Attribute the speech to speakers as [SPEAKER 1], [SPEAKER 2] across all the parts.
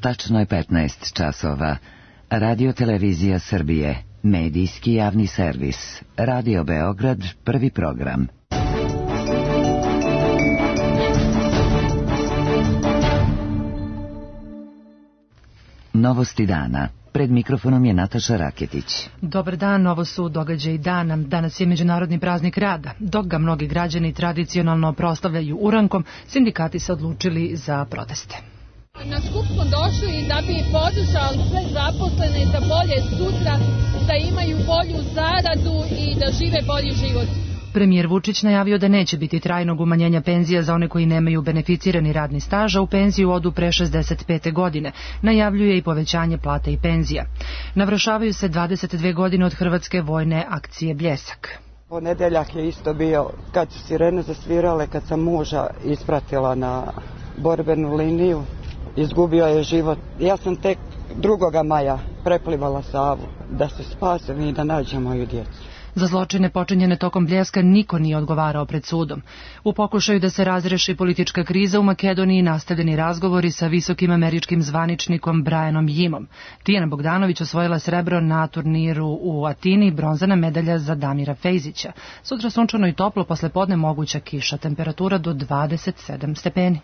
[SPEAKER 1] Tačno je 15 časova. Radio Televizija Srbije, medijski javni servis. Radio Beograd, prvi program. Novosti dana. Pred mikrofonom je Nataša Raketić.
[SPEAKER 2] Dobar dan, ovo su događaji dana. Danas je Međunarodni praznik rada. Dok ga mnogi građani tradicionalno proslavljaju urankom, sindikati se odlučili za proteste.
[SPEAKER 3] Na skup smo došli da bi podržali sve zaposlene za bolje sutra, da imaju bolju zaradu i da žive bolji život.
[SPEAKER 2] Premijer Vučić najavio da neće biti trajnog umanjenja penzija za one koji nemaju beneficirani radni staž, a u penziju odu pre 65. godine. Najavljuje i povećanje plata i penzija. Navršavaju se 22 godine od hrvatske vojne akcije Bljesak.
[SPEAKER 4] Ponedeljak je isto bio kad su sirene zasvirale, kad sam muža ispratila na borbenu liniju. Izgubio je život. Ja sam tek 2. maja preplivala Savu da se spasem i da nađem moju djecu.
[SPEAKER 2] Za zločine počinjene tokom Bljeska niko nije odgovarao pred sudom. U pokušaju da se razreši politička kriza u Makedoniji nastavljeni razgovori sa visokim američkim zvaničnikom Brianom Jimom. Tijana Bogdanović osvojila srebro na turniru u Atini, bronzana medalja za Damira Fejzića. Sutra sunčano i toplo, posle podne moguća kiša, temperatura do 27 stepeni.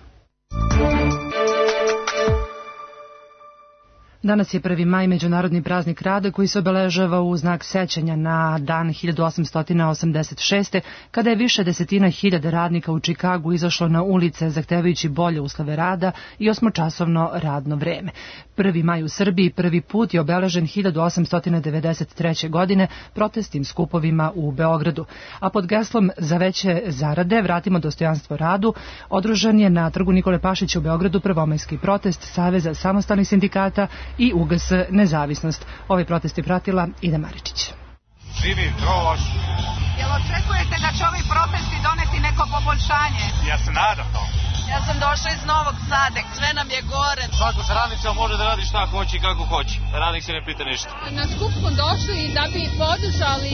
[SPEAKER 2] Danas je 1. maj, Međunarodni praznik rada, koji se obeležava u znak sećanja na dan 1886. kada je više desetina hiljada radnika u Čikagu izašlo na ulice zahtevajući bolje uslove rada i 8-časovno radno vreme. 1. maj u Srbiji prvi put je obeležen 1893. godine protestnim skupovima u Beogradu, a pod geslom za veće zarade vratimo dostojanstvo radu održan je na trgu Nikole Pašića u Beogradu prvomajski protest Saveza samostalnih sindikata i UGS Nezavisnost. Ovaj protest je pratila Ida Maričić.
[SPEAKER 5] Živi Drož.
[SPEAKER 6] Jel očekujete da će ovi protesti doneti neko poboljšanje?
[SPEAKER 5] Ja se nadam to.
[SPEAKER 6] Ja sam došla iz Novog Sada, sve nam je gore.
[SPEAKER 5] Svako sa radnicama može da radi šta hoće i kako hoće. Radnik se ne pita ništa.
[SPEAKER 3] Na skup smo došli da bi podržali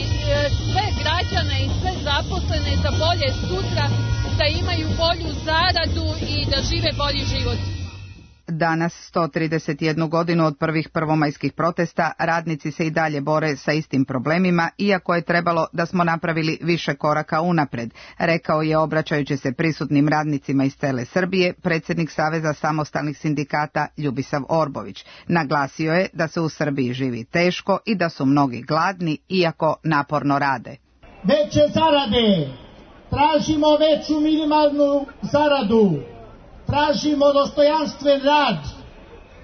[SPEAKER 3] sve građane i sve zaposlene za bolje sutra, da imaju bolju zaradu i da žive bolji život.
[SPEAKER 7] Danas, 131 godinu od prvih prvomajskih protesta, radnici se i dalje bore sa istim problemima, iako je trebalo da smo napravili više koraka unapred, rekao je obraćajući se prisutnim radnicima iz cele Srbije predsjednik Saveza samostalnih sindikata Ljubisav Orbović. Naglasio je da se u Srbiji živi teško i da su mnogi gladni, iako naporno rade.
[SPEAKER 8] Veće zarade, tražimo veću minimalnu zaradu. Tražimo dostojanstven rad,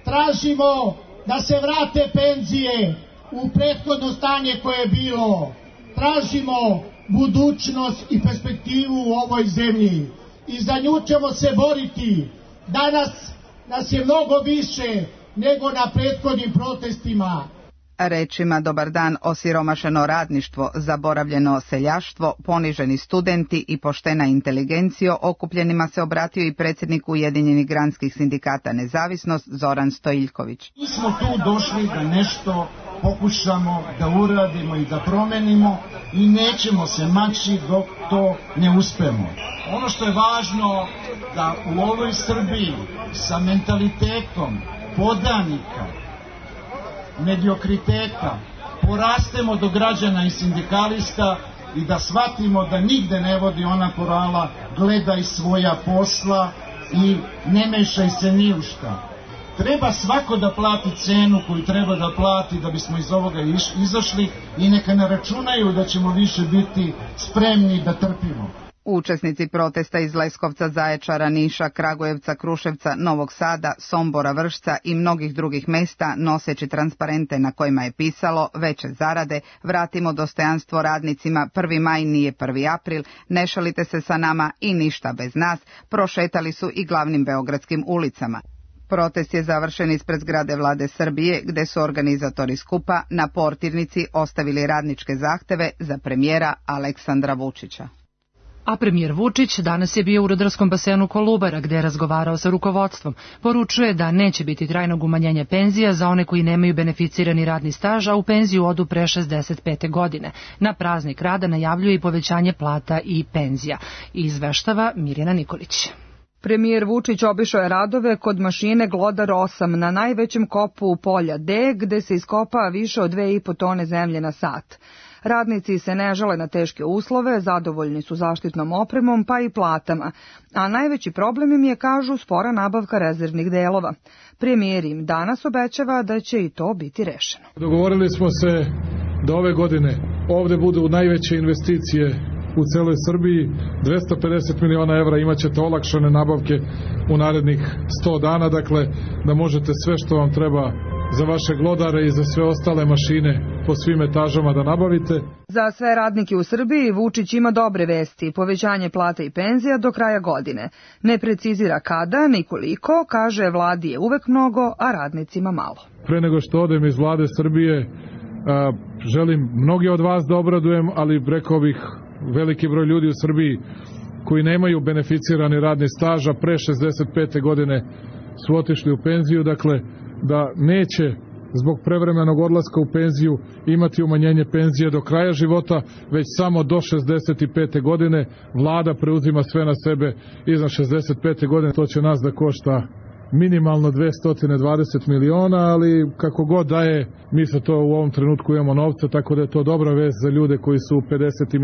[SPEAKER 8] tražimo da se vrate penzije u prethodno stanje koje je bilo, tražimo budućnost i perspektivu u ovoj zemlji i za nju ćemo se boriti. Danas nas je mnogo više nego na prethodnim protestima.
[SPEAKER 7] Rečima dobar dan osiromašeno radništvo, zaboravljeno seljaštvo, poniženi studenti i poštena inteligencijo okupljenima se obratio i predsjednik Ujedinjenih granskih sindikata Nezavisnost Zoran Stojiljković.
[SPEAKER 8] Mi smo tu došli da nešto pokušamo da uradimo i da promenimo i nećemo se maći dok to ne uspemo. Ono što je važno da u ovoj Srbiji sa mentalitetom podanika, mediokriteta, porastemo do građana i sindikalista i da shvatimo da nigde ne vodi ona porala gledaj svoja posla i ne mešaj se ni u šta. Treba svako da plati cenu koju treba da plati da bismo iz ovoga izašli i neka ne računaju da ćemo više biti spremni da trpimo.
[SPEAKER 7] Učesnici protesta iz Leskovca, Zaječara, Niša, Kragujevca, Kruševca, Novog Sada, Sombora, Vršca i mnogih drugih mesta, noseći transparente na kojima je pisalo veće zarade, vratimo dostojanstvo radnicima, 1. maj nije 1. april, ne šalite se sa nama i ništa bez nas, prošetali su i glavnim beogradskim ulicama. Protest je završen ispred zgrade Vlade Srbije, gde su organizatori skupa na portirnici ostavili radničke zahteve za premijera Aleksandra Vučića.
[SPEAKER 2] A premijer Vučić danas je bio u rudarskom basenu Kolubara, gde je razgovarao sa rukovodstvom. Poručuje da neće biti trajnog umanjenja penzija za one koji nemaju beneficirani radni staž, a u penziju odu pre 65. godine. Na praznik rada najavljuje i povećanje plata i penzija. Izveštava Mirjana Nikolić.
[SPEAKER 9] Premijer Vučić obišao je radove kod mašine Glodar 8 na najvećem kopu polja D, gde se iskopa više od 2,5 tone zemlje na sat. Radnici se ne žale na teške uslove, zadovoljni su zaštitnom opremom pa i platama, a najveći problem im je, kažu, spora nabavka rezervnih delova. Premijer im danas obećava da će i to biti rešeno.
[SPEAKER 10] Dogovorili smo se da ove godine ovde budu najveće investicije u celoj Srbiji, 250 miliona evra imat ćete olakšane nabavke u narednih 100 dana, dakle da možete sve što vam treba za vaše glodare i za sve ostale mašine po svim etažama da nabavite.
[SPEAKER 9] Za sve radnike u Srbiji Vučić ima dobre vesti, povećanje plata i penzija do kraja godine. Ne precizira kada ni koliko, kaže vladi je uvek mnogo, a radnicima malo.
[SPEAKER 10] Pre nego što odem iz vlade Srbije, želim mnogi od vas da obradujem, ali rekao bih veliki broj ljudi u Srbiji koji nemaju beneficirani radni staž, a pre 65. godine su otišli u penziju, dakle da neće zbog prevremenog odlaska u penziju imati umanjenje penzije do kraja života, već samo do 65. godine. Vlada preuzima sve na sebe iznad 65. godine, to će nas da košta minimalno 220 miliona, ali kako god da je, mi se to u ovom trenutku imamo novca, tako da je to dobra vest za ljude koji su u 50. i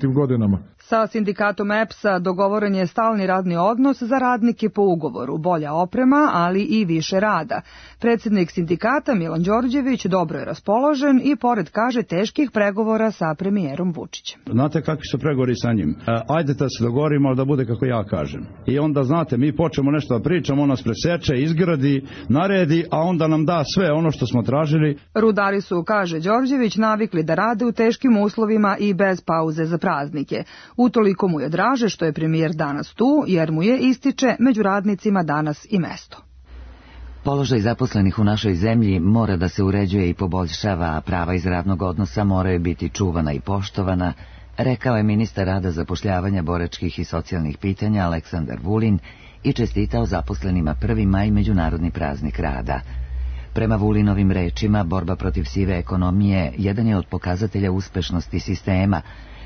[SPEAKER 10] 60. godinama.
[SPEAKER 9] Sa sindikatom EPS-a dogovoren je stalni radni odnos za radnike po ugovoru, bolja oprema, ali i više rada. Predsjednik sindikata Milan Đorđević dobro je raspoložen i pored, kaže, teških pregovora sa premijerom Vučićem.
[SPEAKER 11] Znate kakvi su pregovori sa njim? Ajde da se dogovorimo da bude kako ja kažem. I onda, znate, mi počnemo nešto da pričamo, on nas preseče, izgradi, naredi, a onda nam da sve ono što smo tražili.
[SPEAKER 9] Rudari su, kaže Đorđević, navikli da rade u teškim uslovima i bez pauze za praznike. Utoliko mu je draže što je premijer danas tu, jer mu je, ističe, među radnicima danas i mesto.
[SPEAKER 1] Položaj zaposlenih u našoj zemlji mora da se uređuje i poboljšava, a prava iz radnog odnosa moraju biti čuvana i poštovana, rekao je ministar rada, zapošljavanja, boračkih i socijalnih pitanja Aleksandar Vulin i čestitao zaposlenima 1. maj, međunarodni praznik rada. Prema Vulinovim rečima, borba protiv sive ekonomije jedan je od pokazatelja uspešnosti sistema,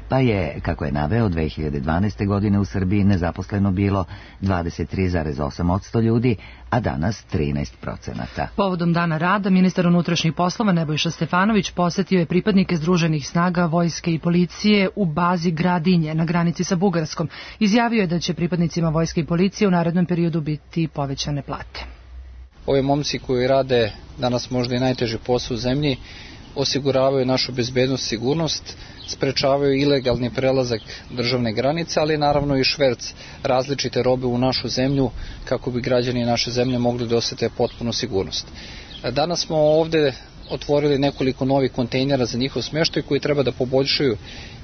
[SPEAKER 1] pa je, kako je naveo, 2012. godine u Srbiji nezaposleno bilo 23,8% ljudi, a danas 13%.
[SPEAKER 2] Povodom Dana rada, ministar unutrašnjih poslova Nebojša Stefanović posetio je pripadnike Združenih snaga, vojske i policije u bazi Gradinje na granici sa Bugarskom. Izjavio je da će pripadnicima vojske i policije u narednom periodu biti povećane plate.
[SPEAKER 12] Ovi momci koji rade danas možda i najteži posao u zemlji osiguravaju našu bezbednost, sigurnost, sprečavaju ilegalni prelazak državne granice, ali naravno i šverc različite robe u našu zemlju kako bi građani naše zemlje mogli da osete potpunu sigurnost. Danas smo ovde otvorili nekoliko novih kontejnera za njihov smeštaj koji treba da poboljšaju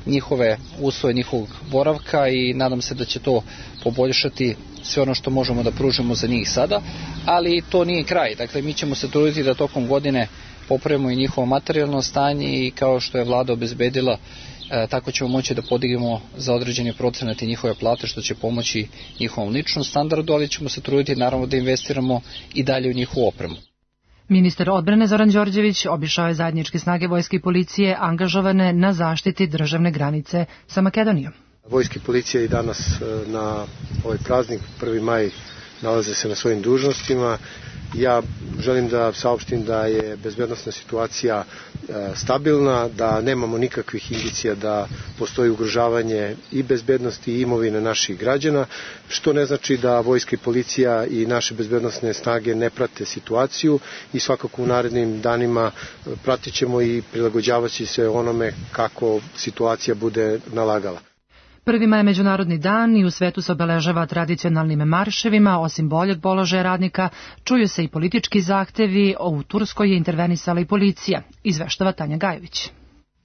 [SPEAKER 12] njihove uslove, njihovog boravka i nadam se da će to poboljšati sve ono što možemo da pružimo za njih sada, ali to nije kraj. Dakle, mi ćemo se truditi da tokom godine popravimo i njihovo materijalno stanje i kao što je vlada obezbedila, tako ćemo moći da podignemo za određeni procenat i njihove plate, što će pomoći njihovom ličnom standardu, ali ćemo se truditi naravno da investiramo i dalje u njihovu opremu.
[SPEAKER 2] Ministar odbrane Zoran Đorđević obišao je zajedničke snage vojske i policije angažovane na zaštiti državne granice sa Makedonijom.
[SPEAKER 13] Vojske i policije i danas na ovaj praznik 1. maj nalaze se na svojim dužnostima. Ja želim da saopštim da je bezbednosna situacija stabilna, da nemamo nikakvih indicija da postoji ugrožavanje i bezbednosti i imovine naših građana, što ne znači da vojska i policija i naše bezbednosne snage ne prate situaciju i svakako u narednim danima pratit ćemo i prilagođavaći se onome kako situacija bude nalagala.
[SPEAKER 2] 1. maj je međunarodni dan i u svetu se obeležava tradicionalnim marševima. Osim boljeg položaja radnika, čuju se i politički zahtevi, u Turskoj je intervenisala i policija, izveštava Tanja Gajović.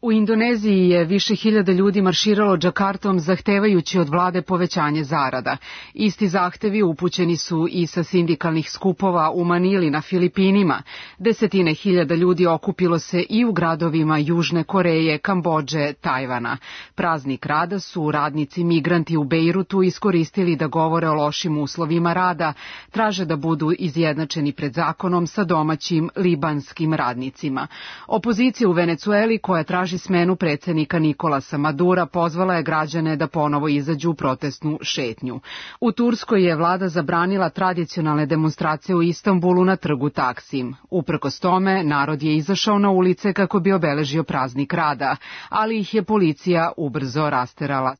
[SPEAKER 14] U Indoneziji je više hiljada ljudi marširalo Džakartom zahtevajući od vlade povećanje zarada. Isti zahtevi upućeni su i sa sindikalnih skupova u Manili na Filipinima. Desetine hiljada ljudi okupilo se i u gradovima Južne Koreje, Kambodže, Tajvana. Praznik rada su radnici migranti u Bejrutu iskoristili da govore o lošim uslovima rada, traže da budu izjednačeni pred zakonom sa domaćim libanskim radnicima. Opozicija u Venecueli, koja traži traži smenu predsjednika Nikolasa Madura, pozvala je građane da ponovo izađu u protestnu šetnju. U Turskoj je vlada zabranila tradicionalne demonstracije u Istanbulu na trgu Taksim. Uprkos tome, narod je izašao na ulice kako bi obeležio praznik rada, ali ih je policija ubrzo rasterala.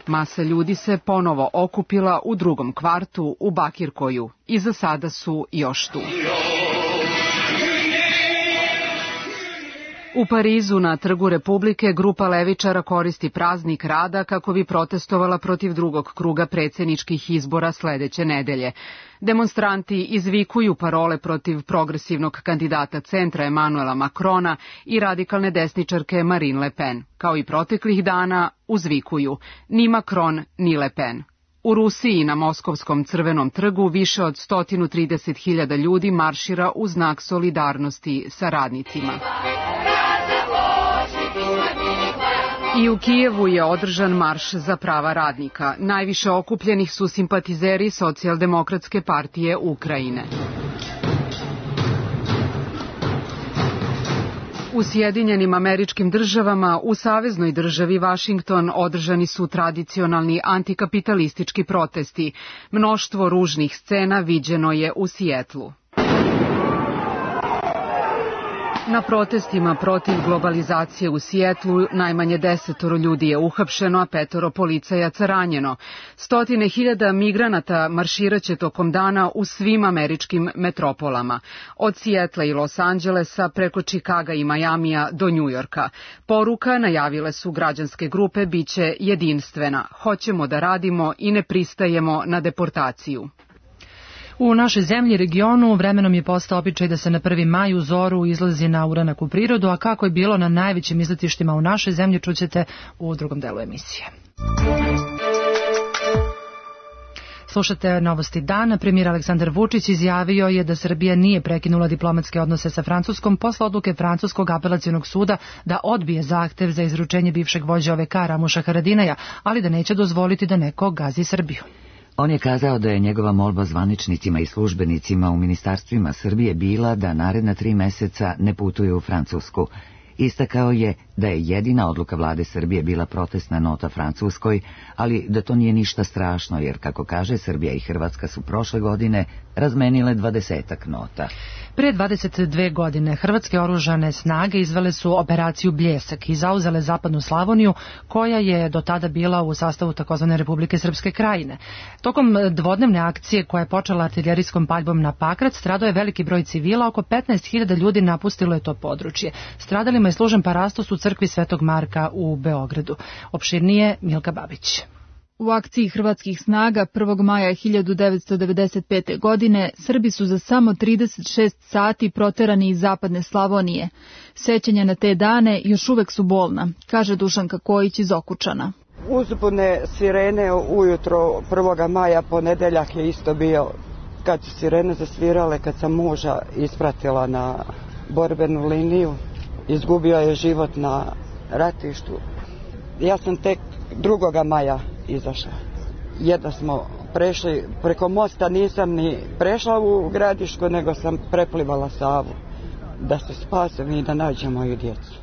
[SPEAKER 14] Masa ljudi se ponovo okupila u drugom kvartu u Bakirkoju i za sada su još tu. U Parizu na Trgu Republike grupa levičara koristi praznik rada kako bi protestovala protiv drugog kruga predsjedničkih izbora sledeće nedelje. Demonstranti izvikuju parole protiv progresivnog kandidata centra Emanuela Macrona i radikalne desničarke Marine Le Pen. Kao i proteklih dana uzvikuju ni Macron ni Le Pen. U Rusiji na Moskovskom Crvenom trgu više od 130.000 ljudi maršira u znak solidarnosti sa radnicima. I u Kijevu je održan marš za prava radnika. Najviše okupljenih su simpatizeri Socijaldemokratske partije Ukrajine. U Sjedinjenim Američkim Državama, u saveznoj državi Vašington, održani su tradicionalni antikapitalistički protesti. Mnoštvo ružnih scena viđeno je u Sijetlu. Na protestima protiv globalizacije u Sijetlu najmanje 10 ljudi je uhapšeno, a 5 policajaca ranjeno. 100.000 migranata marširaće tokom dana u svim američkim metropolama, od Sijetla i Los Angelesa preko Čikaga i Majamija do Njujorka. Poruka, najavile su građanske grupe, biće jedinstvena. Hoćemo da radimo i ne pristajemo na deportaciju.
[SPEAKER 2] U našoj zemlji i regionu vremenom je postao običaj da se na 1. maj u zoru izlazi na uranak u prirodu, a kako je bilo na najvećim izletištima u našoj zemlji čućete u drugom delu emisije. Slušate novosti dana. Premijer Aleksandar Vučić izjavio je da Srbija nije prekinula diplomatske odnose sa Francuskom posle odluke Francuskog apelacionog suda da odbije zahtev za izručenje bivšeg vođe OVK Ramuša Haradinaja, ali da neće dozvoliti da neko gazi Srbiju.
[SPEAKER 1] On je kazao da je njegova molba zvaničnicima i službenicima u ministarstvima Srbije bila da naredna 3 meseca ne putuju u Francusku. Istakao je da je jedina odluka vlade Srbije bila protestna nota Francuskoj, ali da to nije ništa strašno, jer, kako kaže, Srbija i Hrvatska su prošle godine razmenile 20-ak nota.
[SPEAKER 2] Pre 22 godine Hrvatske oružane snage izvele su operaciju Bljesak i zauzele zapadnu Slavoniju, koja je do tada bila u sastavu takozvane Republike Srpske Krajine. Tokom dvodnevne akcije koja je počela artiljerijskom paljbom na Pakrac, stradao je veliki broj civila, oko 15.000 ljudi napustilo je to područje. Stradalima je služen parastos u crkvi Svetog Marka u Beogradu. Opširnije Milka Babić.
[SPEAKER 15] U akciji hrvatskih snaga 1. maja 1995. godine Srbi su za samo 36 sati proterani iz zapadne Slavonije. Sećanja na te dane još uvek su bolna, kaže Dušanka Kojić iz Okučana.
[SPEAKER 4] Uzbune sirene ujutro 1. maja, ponedeljak je isto bio. Kad su sirene zasvirale, kad sam muža ispratila na borbenu liniju, izgubio je život na ratištu. Ja sam tek 2. maja izašla. Jedno smo prešli preko mosta, nisam ni prešla u Gradišku, nego sam preplivala Savu da se spasem i da nađem moju djecu.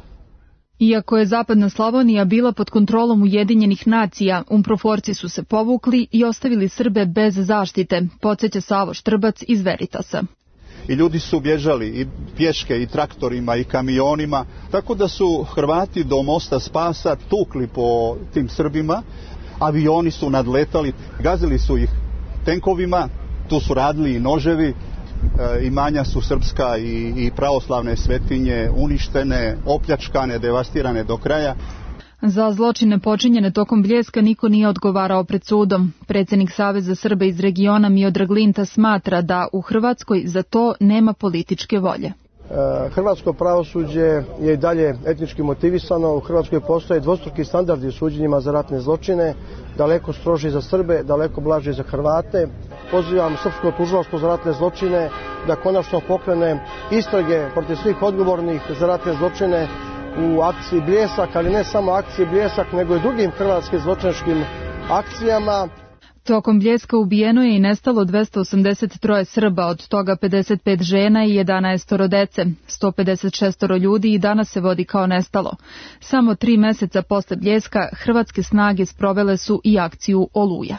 [SPEAKER 15] Iako je zapadna Slavonija bila pod kontrolom Ujedinjenih nacija, umproforci su se povukli i ostavili Srbe bez zaštite, podsjeća Savo Štrbac iz Veritasa.
[SPEAKER 16] I ljudi su bježali i pješke i traktorima i kamionima, tako da su Hrvati do mosta Spasa tukli po tim Srbima, avioni su nadletali, gazili su ih tenkovima, tu su radili i noževi, imanja su srpska i pravoslavne svetinje uništene, opljačkane, devastirane do kraja.
[SPEAKER 15] Za zločine počinjene tokom Bljeska niko nije odgovarao pred sudom. Predsjednik Saveza Srba iz regiona Miodrag Linta smatra da u Hrvatskoj za to nema političke volje.
[SPEAKER 17] Hrvatsko pravosuđe je i dalje etnički motivisano. U Hrvatskoj postoje dvostruki standardi u suđenjima za ratne zločine, daleko stroži za Srbe, daleko blaži za Hrvate. Pozivam Srpsko tužilaštvo za ratne zločine da konačno pokrene istrage protiv svih odgovornih za ratne zločine u akciji Bljesak, ali ne samo akciji Bljesak, nego i drugim hrvatskim zločinačkim akcijama.
[SPEAKER 15] Tokom Bljeska ubijeno je i nestalo 283 Srba, od toga 55 žena i 11 dece. 156 ljudi i danas se vodi kao nestalo. Samo 3 meseca posle Bljeska hrvatske snage sprovele su i akciju Oluja.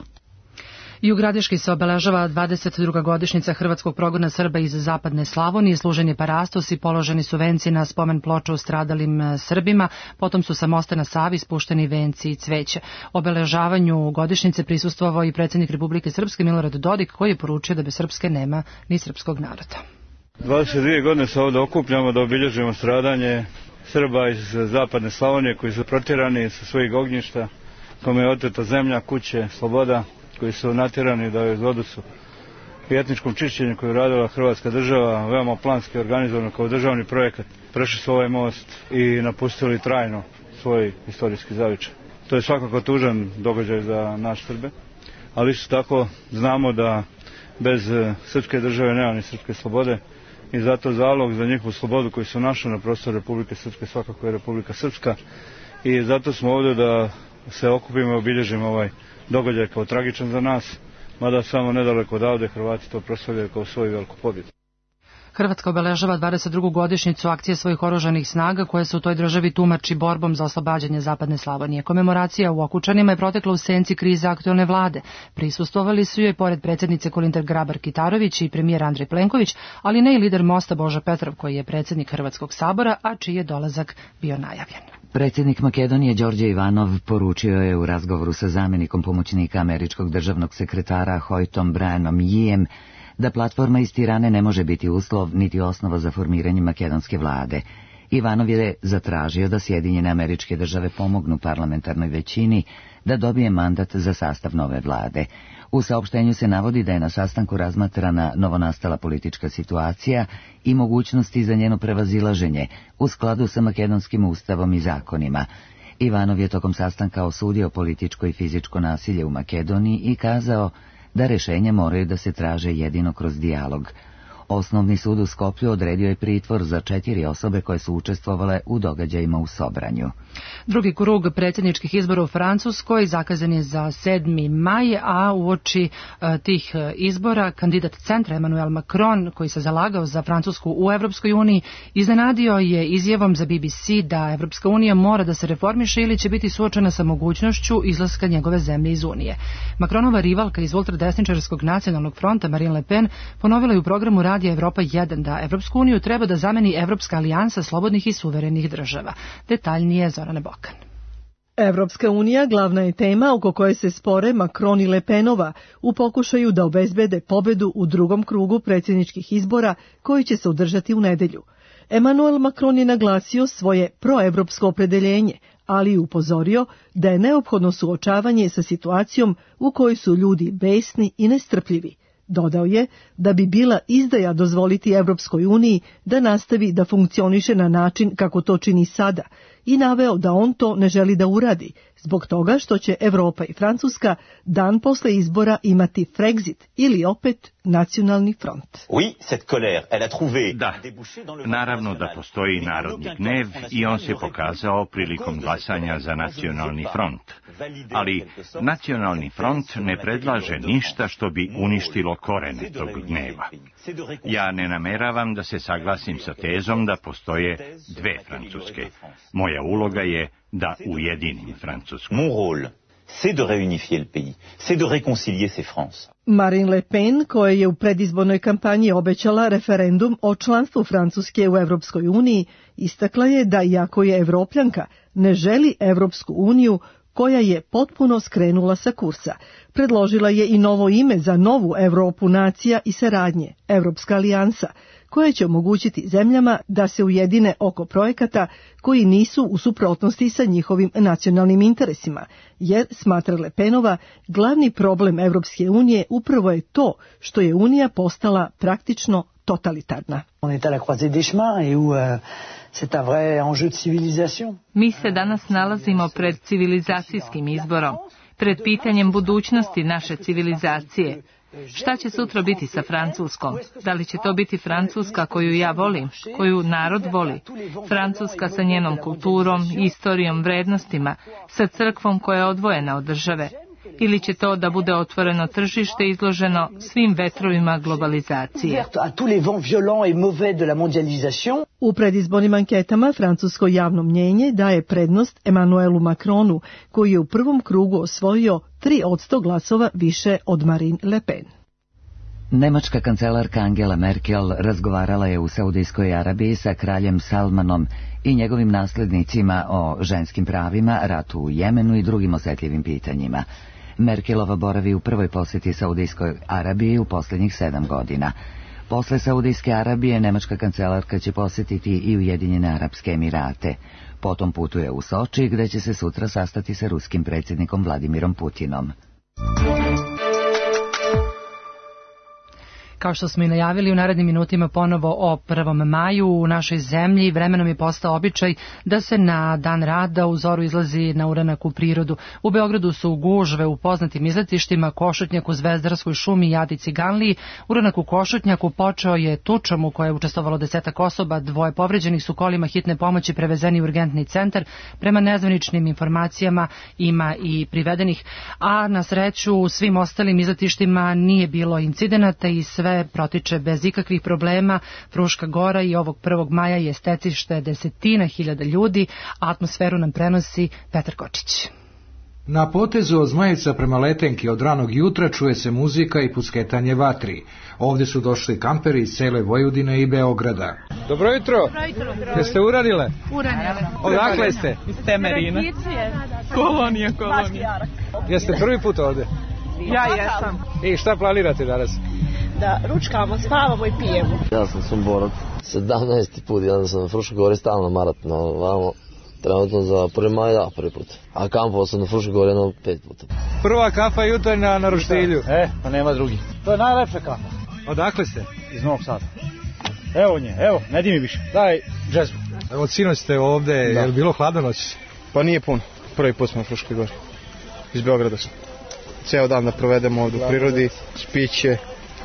[SPEAKER 2] I u Gradiški se obeležava 22. godišnjica hrvatskog progona Srba iz zapadne Slavonije, služen je parastos i položeni su venci na spomen ploču stradalim Srbima, potom su sa mosta na Savi spušteni venci i cveće. Obeležavanju godišnjice prisustvovao i predsjednik Republike Srpske Milorad Dodik, koji je poručio da bez Srpske nema ni srpskog naroda.
[SPEAKER 18] 22 godine se ovdje okupljamo da obilježimo stradanje Srba iz zapadne Slavonije koji su protjerani sa svojih ognjišta, kome je oteta zemlja, kuće, sloboda, koji su natjerani da je vodu i etničkom čišćenju koju je radila Hrvatska država, veoma planski organizovano kao državni projekat, prešli su ovaj most i napustili trajno svoj istorijski zavičaj. To je svakako tužan događaj za naš Srbe, ali isto tako znamo da bez srpske države nema ni srpske slobode i zato zalog za njihovu slobodu koju su našli na prostoru Republike Srpske svakako je Republika Srpska i zato smo ovdje da se okupimo i obilježimo ovaj događaj kao tragičan za nas, mada samo nedaleko odavde Hrvati to proslavljaju kao svoju veliku pobjedu.
[SPEAKER 2] Hrvatska obeležava 22. godišnjicu akcije svojih oružanih snaga koje se u toj državi tumači borbom za oslobađanje zapadne Slavonije. Komemoracija u Okučanima je protekla u senci krize aktualne vlade. Prisustvovali su joj pored predsjednice Kolindar Grabar-Kitarović i premijer Andrej Plenković, ali ne i lider Mosta Božo Petrov koji je predsjednik Hrvatskog sabora, a čiji je dolazak bio najavljen.
[SPEAKER 1] Predsjednik Makedonije Đorđe Ivanov poručio je u razgovoru sa zamjenikom pomoćnika američkog državnog sekretara Hoytom Brianom Yijem da platforma iz Tirane ne može biti uslov niti osnova za formiranje makedonske vlade. Ivanov je zatražio da Sjedinjene Američke Države pomognu parlamentarnoj većini da dobije mandat za sastav nove vlade. U saopštenju se navodi da je na sastanku razmatrana novonastala politička situacija i mogućnosti za njeno prevazilaženje u skladu sa makedonskim ustavom i zakonima. Ivanov je tokom sastanka osudio političko i fizičko nasilje u Makedoniji i kazao da rješenja moraju da se traže jedino kroz dijalog. Osnovni sud u Skoplju odredio je pritvor za 4 osobe koje su učestvovale u događajima u Sobranju.
[SPEAKER 2] Drugi krug predsjedničkih izbora u Francuskoj zakazan je za 7. maj, a uoči tih izbora kandidat centra Emmanuel Macron, koji se zalagao za Francusku u Evropskoj uniji, iznenadio je izjavom za BBC da Evropska unija mora da se reformiše ili će biti suočena sa mogućnošću izlaska njegove zemlje iz Unije. Macronova rivalka iz ultradesničarskog nacionalnog fronta Marine Le Pen ponovila je u programu Radija Evropa 1 da Evropsku uniju treba da zameni Evropska alijansa slobodnih i suverenih država. Detaljnije Zorane Bokan.
[SPEAKER 19] Evropska unija glavna je tema oko koje se spore Macron i Le Penova u pokušaju da obezbede pobedu u drugom krugu predsjedničkih izbora koji će se održati u nedelju. Emmanuel Macron je naglasio svoje proevropsko opredeljenje, ali i upozorio da je neophodno suočavanje sa situacijom u kojoj su ljudi besni i nestrpljivi. Dodao je da bi bila izdaja dozvoliti Evropskoj uniji da nastavi da funkcioniše na način kako to čini sada i naveo da on to ne želi da uradi, zbog toga što će Evropa i Francuska dan posle izbora imati Frexit ili opet nacionalni front.
[SPEAKER 20] Da, naravno da postoji narodni gnev i on se pokazao prilikom glasanja za nacionalni front. Ali nacionalni front ne predlaže ništa što bi uništilo korene tog gneva. Ja ne nameravam da se saglasim sa tezom da postoje dve Francuske. Moja uloga je da ujedinim Francusku.
[SPEAKER 21] Mon rôle, c'est de réunifier le pays, c'est de réconcilier ces France.
[SPEAKER 19] Marine Le Pen, koja je u predizbornoj kampanji obećala referendum o članstvu Francuske u Evropskoj uniji, istakla je da iako je Evropljanka, ne želi Evropsku uniju koja je potpuno skrenula sa kursa. Predložila je i novo ime za novu Evropu nacija i saradnje, Evropska alijansa, koja će omogućiti zemljama da se ujedine oko projekata koji nisu u suprotnosti sa njihovim nacionalnim interesima, jer, smatra Le Penova, glavni problem Evropske unije upravo je to što je Unija postala praktično totalitarna.
[SPEAKER 22] Mi se danas nalazimo pred civilizacijskim izborom, pred pitanjem budućnosti naše civilizacije. Šta će sutra biti sa Francuskom? Da li će to biti Francuska koju ja volim, koju narod voli? Francuska sa njenom kulturom, istorijom, vrednostima, sa crkvom koja je odvojena od države? ili će to da bude otvoreno tržište izloženo svim vetrovima globalizacije?
[SPEAKER 19] U predizbornim anketama francusko javno mnjenje daje prednost Emmanuelu Macronu, koji je u prvom krugu osvojio 3% glasova više od Marine Le Pen.
[SPEAKER 1] Nemačka kancelarka Angela Merkel razgovarala je u Saudijskoj Arabiji sa kraljem Salmanom i njegovim naslednicima o ženskim pravima, ratu u Jemenu i drugim osetljivim pitanjima. Merkelova boravi u prvoj posjeti Saudijskoj Arabiji u posljednjih 7 godina. Posle Saudijske Arabije, nemačka kancelarka će posjetiti i Ujedinjene Arapske Emirate. Potom putuje u Soči, gde će se sutra sastati sa ruskim predsjednikom Vladimirom Putinom.
[SPEAKER 2] Kao što smo i najavili, u narednim minutima ponovo o 1. maju u našoj zemlji vremenom je postao običaj da se na dan rada u zoru izlazi na uranak u prirodu. U Beogradu su gužve u poznatim izletištima, Košutnjaku, Zvezdarskoj šumi i Adi Ciganliji. Uranak u Košutnjaku počeo je tučom u kojoj je učestvovalo 10 osoba, 2 povređenih su kolima hitne pomoći prevezeni u urgentni centar. Prema nezvaničnim informacijama ima i privedenih, a na sreću u svim ostalim izletištima nije bilo incidenata i sve protiče bez ikakvih problema. Fruška Gora i ovog 1. maja je stecište desetina hiljada ljudi, a atmosferu nam prenosi Petar Kočić.
[SPEAKER 5] Na potezu od Zmajica prema Letenki od ranog jutra čuje se muzika i pucketanje vatri. Ovdje su došli kamperi iz cele Vojvodine i Beograda.
[SPEAKER 6] Dobro jutro. Jeste uradile?
[SPEAKER 23] Uradile.
[SPEAKER 6] Odakle ste?
[SPEAKER 23] Iz Temerina. Kolonija.
[SPEAKER 6] Jeste prvi put ovdje?
[SPEAKER 23] Ja jesam.
[SPEAKER 6] I šta planirate danas?
[SPEAKER 23] Da ručkamo, spavamo i pijemo.
[SPEAKER 24] Ja sam Somborac, 17. put, ja sam na Fruškoj Gori stalno maratno, vamo, trenutno za 1. maj, da, prvi put. A kampovao sam na Fruškoj Gori 5 puta.
[SPEAKER 6] Prva kafa jutarnja na roštilju.
[SPEAKER 25] Pa nema drugi. To je najlepša kafa.
[SPEAKER 6] Odakle ste?
[SPEAKER 25] Iz Novog Sada. Evo nje, ne di mi više. Daj džezbu.
[SPEAKER 6] Od sinoć ste ovde, je li bilo hladno noći?
[SPEAKER 25] Pa nije puno. Prvi put smo na Fruškoj Gori. Iz Beograda smo. Ceo dan da provedemo ovdje u prirodi, spiće,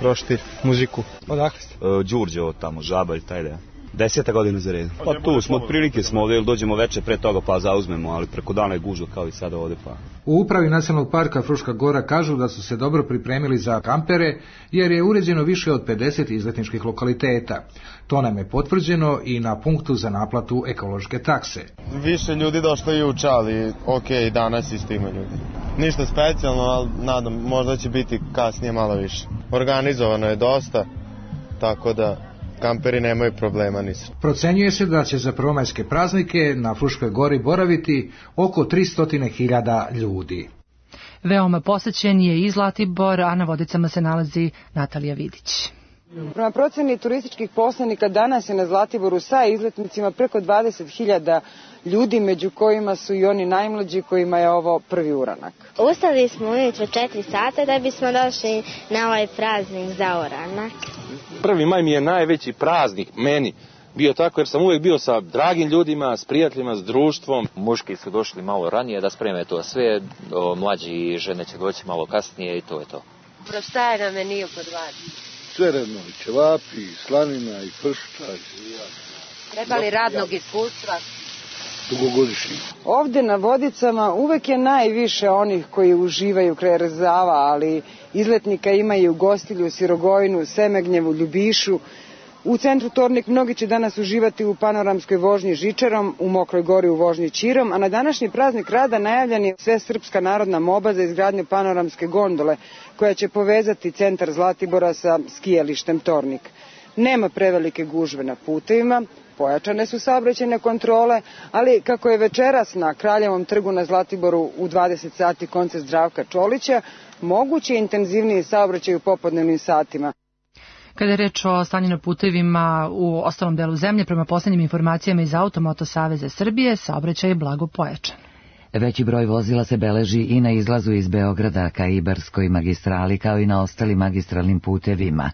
[SPEAKER 25] roštilj, muziku.
[SPEAKER 6] Odakle ste?
[SPEAKER 26] Đurđevo tamo, Žabalj, taj da. 10. godina za red. Pa tu smo, otprilike smo ovdje, ili dođemo veče pre toga pa zauzmemo, ali preko dana je gužva kao i sada ovdje pa.
[SPEAKER 5] U upravi Nacionalnog parka Fruška Gora kažu da su se dobro pripremili za kampere, jer je uređeno više od 50 izletničkih lokaliteta. To nam je potvrđeno i na punktu za naplatu ekološke takse.
[SPEAKER 25] Više ljudi došlo juče, ali okej, danas isto ima ljudi. Ništa specijalno, ali nadam, možda će biti kasnije malo više. Organizovano je dosta, tako da kamperi nemaju problema nisu.
[SPEAKER 5] Procenjuje se da će za prvomajske praznike na Fruškoj Gori boraviti oko 300.000 ljudi.
[SPEAKER 2] Veoma posećen je i Zlatibor, a na Vodicama se nalazi Natalija Vidić.
[SPEAKER 4] Prema proceni turističkih posrednika danas je na Zlatiboru sa izletnicima preko 20.000 ljudi, među kojima su i oni najmlađi kojima je ovo prvi uranak.
[SPEAKER 27] Ustali smo ujutro 4 sata da bismo došli na ovaj praznik za uranak.
[SPEAKER 28] 1. maj mi je najveći praznik meni bio tako jer sam uvijek bio sa dragim ljudima, s prijateljima, s društvom.
[SPEAKER 29] Muški su došli malo ranije da spreme to sve, mlađi i žene će doći malo kasnije i to je to.
[SPEAKER 27] Šta je na meniju kod vas?
[SPEAKER 30] Sve redno, i ćevapi, i slanina, i pršuta.
[SPEAKER 27] Treba li radnog iskustva?
[SPEAKER 30] Dugogodišnji.
[SPEAKER 4] Ovdje na Vodicama uvek je najviše onih koji uživaju kraj Rzava, ali izletnika ima i u Gostilju, Sirogojnu, Semegnjevu, Ljubišu. U centru Tornik mnogi će danas uživati u panoramskoj vožnji žičarom, u Mokroj Gori u vožnji Čirom, a na današnji praznik rada najavljen je Svesrpska narodna moba za izgradnju panoramske gondole, koja će povezati centar Zlatibora sa skijalištem Tornik. Nema prevelike gužve na putevima, pojačane su saobraćajne kontrole, ali kako je večeras na Kraljevom trgu na Zlatiboru u 20 sati koncert Zdravka Čolića, moguće je intenzivniji saobraćaj u popodnevnim satima.
[SPEAKER 2] Kada je reč o stanju na putevima u ostalom delu zemlje, prema posljednjim informacijama iz Automoto Saveza Srbije, saobraćaj je blago pojačan.
[SPEAKER 1] Veći broj vozila se beleži i na izlazu iz Beograda ka Ibarskoj magistrali, kao i na ostalim magistralnim putevima.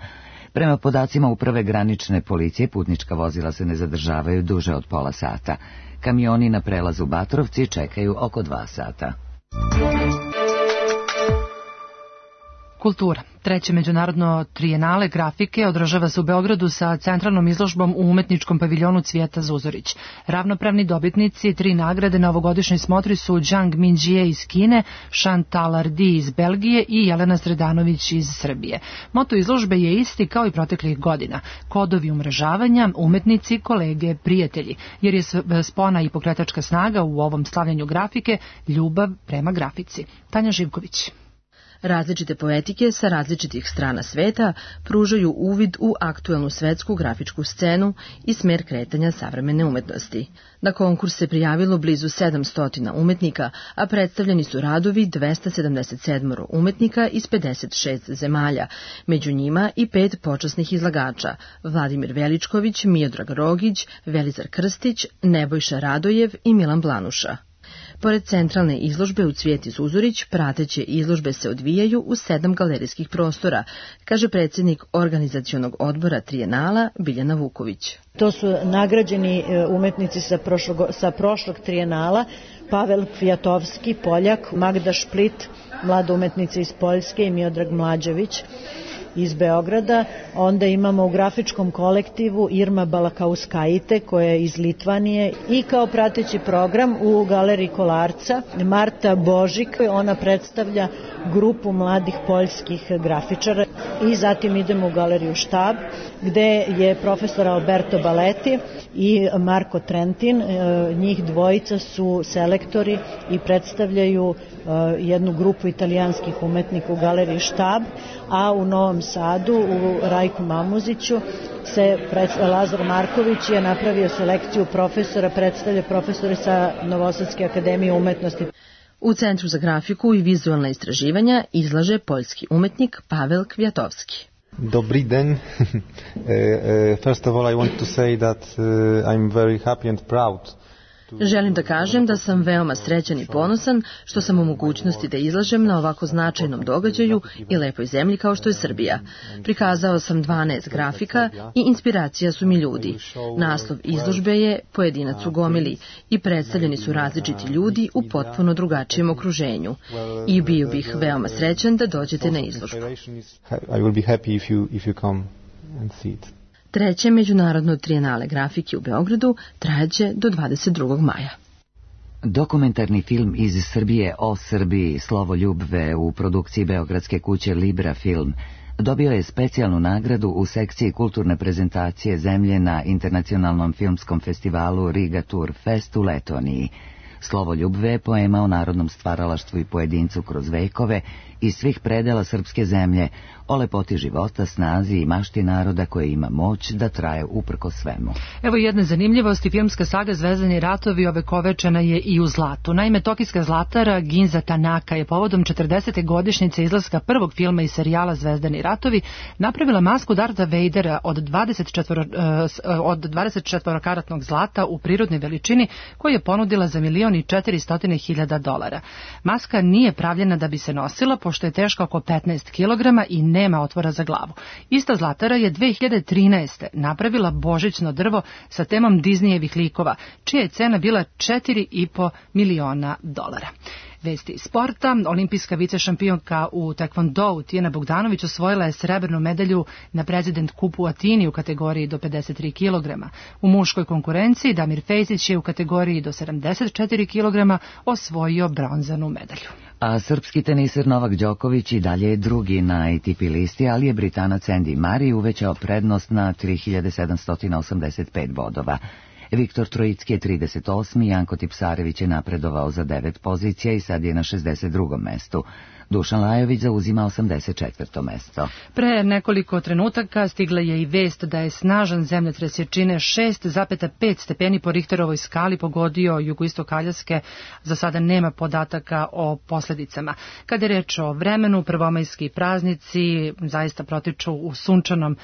[SPEAKER 1] Prema podacima Uprave granične policije, putnička vozila se ne zadržavaju duže od pola sata. Kamioni na prelazu Batrovci čekaju oko 2 sata.
[SPEAKER 2] Kultura. Treće međunarodno trijenale grafike održava se u Beogradu sa centralnom izložbom u umetničkom paviljonu Cvijeta Zuzorić. Ravnopravni dobitnici 3 nagrade na ovogodišnjoj smotri su Zhang Minjie iz Kine, Chantal Ardi iz Belgije i Jelena Sredanović iz Srbije. Moto izložbe je isti kao i proteklih godina. Kodovi umrežavanja, umetnici, kolege, prijatelji, jer je spona i pokretačka snaga u ovom slavljanju grafike ljubav prema grafici. Tanja Živković.
[SPEAKER 3] Različite poetike sa različitih strana sveta pružaju uvid u aktuelnu svetsku grafičku scenu i smer kretanja savremene umetnosti. Na konkurs se prijavilo blizu 700 umetnika, a predstavljeni su radovi 277 umetnika iz 56 zemalja, među njima i 5 počasnih izlagača: Vladimir Veličković, Miodrag Rogić, Velizar Krstić, Nebojša Radojev i Milan Blanuša. Pored centralne izložbe u Cvijeti Zuzorić, prateće izložbe se odvijaju u 7 galerijskih prostora, kaže predsjednik organizacionog odbora trijenala Biljana Vuković.
[SPEAKER 7] To su nagrađeni umetnici sa prošlog trijenala: Pavel Kvijatovski, Poljak, Magda Šplit, mlada umetnica iz Poljske, i Miodrag Mlađević iz Beograda. Onda imamo u grafičkom kolektivu Irma Balakauskaite, koja je iz Litvanije, i kao prateći program u galeriji Kolarca Marta Božik, ona predstavlja grupu mladih poljskih grafičara. I zatim idemo u galeriju Štab, gde je profesor Alberto Baletti i Marko Trentin. Njih dvojica su selektori i predstavljaju jednu grupu italijanskih umetnika u galeriji Štab, a u Novom Sadu u Rajku Mamuziću Lazar Marković je napravio selekciju profesora, predstavlja profesore sa Novosadske akademije umetnosti.
[SPEAKER 3] U Centru za grafiku i vizualna istraživanja izlaže poljski umetnik Pavel Kvijatovski.
[SPEAKER 8] Dobri den. First of all, I want to say that I'm very happy and proud.
[SPEAKER 3] Želim da kažem da sam veoma srećan i ponosan što sam u mogućnosti da izlažem na ovako značajnom događaju i lepoj zemlji kao što je Srbija. Prikazao sam 12 grafika i inspiracija su mi ljudi. Naslov izložbe je Pojedinac u gomili i predstavljeni su različiti ljudi u potpuno drugačijem okruženju. I bio bih veoma srećan da dođete na izložbu.
[SPEAKER 8] I will be happy if you come and see it.
[SPEAKER 3] Treće međunarodno trijenale grafike u Beogradu trajaće do 22. maja.
[SPEAKER 1] Dokumentarni film iz Srbije o Srbiji Slovo ljubve u produkciji beogradske kuće Libra Film dobio je specijalnu nagradu u sekciji kulturne prezentacije zemlje na internacionalnom filmskom festivalu Riga Tour Fest u Letoniji. Slovo ljubve je poema o narodnom stvaralaštvu i pojedincu kroz vekove iz svih predela srpske zemlje, o lepoti života, snazi i mašti naroda koje ima moć da traje uprko svemu.
[SPEAKER 2] Evo jedne zanimljivosti, filmska saga Zvezdani ratovi ovekovečena je i u zlatu. Naime, tokijska zlatara Ginza Tanaka je povodom 40. godišnjice izlaska prvog filma iz serijala Zvezdani ratovi napravila masku Dartha Vadera od 24-karatnog zlata u prirodnoj veličini koju je ponudila za $1.400.000. Maska nije pravljena da bi se nosila, pošto je teška oko 15 kg i nema otvora za glavu. Ista zlatara je 2013. napravila božićno drvo sa temom Disneyevih likova, čija je cena bila $4,5 miliona. Vesti iz sporta. Olimpijska vicešampionka u taekwondou Tijana Bogdanović osvojila je srebrnu medalju na Prezident kupu u Atini u kategoriji do 53 kg. U muškoj konkurenciji Damir Fejzić je u kategoriji do 74 kg osvojio bronzanu medalju.
[SPEAKER 1] A srpski teniser Novak Đoković i dalje je drugi na ATP listi, ali je Britanac Andy Murray uvećao prednost na 3785 bodova. Viktor Trojicki je 38. Janko Tipsarević je napredovao za 9 pozicija i sad je na 62. mestu. Dušan Lajović zauzima 84. mesto.
[SPEAKER 2] Pre nekoliko trenutaka stigla je i vest da je snažan zemljotres jačine 6,5 stepeni po Richterovoj skali pogodio jugoistok Aljaske. Za sada nema podataka o posljedicama. Kada je reč o vremenu, prvomajski praznici zaista protiču u sunčanom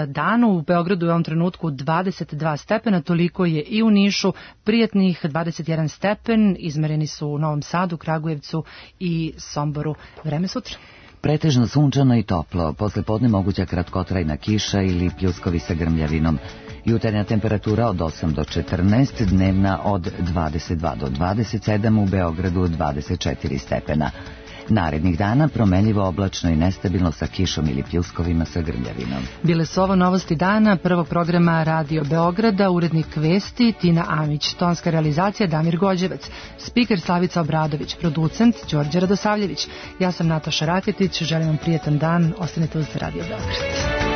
[SPEAKER 2] danu. U Beogradu je u ovom trenutku 22 stepena, toliko je i u Nišu, prijatnih 21 stepen, izmereni su u Novom Sadu, Kragujevcu i Somboru. Vreme sutra.
[SPEAKER 1] Pretežno sunčano i toplo, posle podne moguća kratkotrajna kiša ili pljuskovi sa grmljavinom. Jutarnja temperatura od 8 do 14, dnevna od 22 do 27, u Beogradu 24 stepena. Narednih dana promenljivo oblačno i nestabilno sa kišom ili pljuskovima sa grmljavinom.
[SPEAKER 2] Bile su ovo novosti dana prvog programa Radio Beograda, urednik vesti Tina Amić, tonska realizacija Damir Gođevac, spiker Slavica Obradović, producent Đorđe Radosavljević. Ja sam Nataša Raketić, želim vam prijetan dan, ostanite uz Radio Beograd.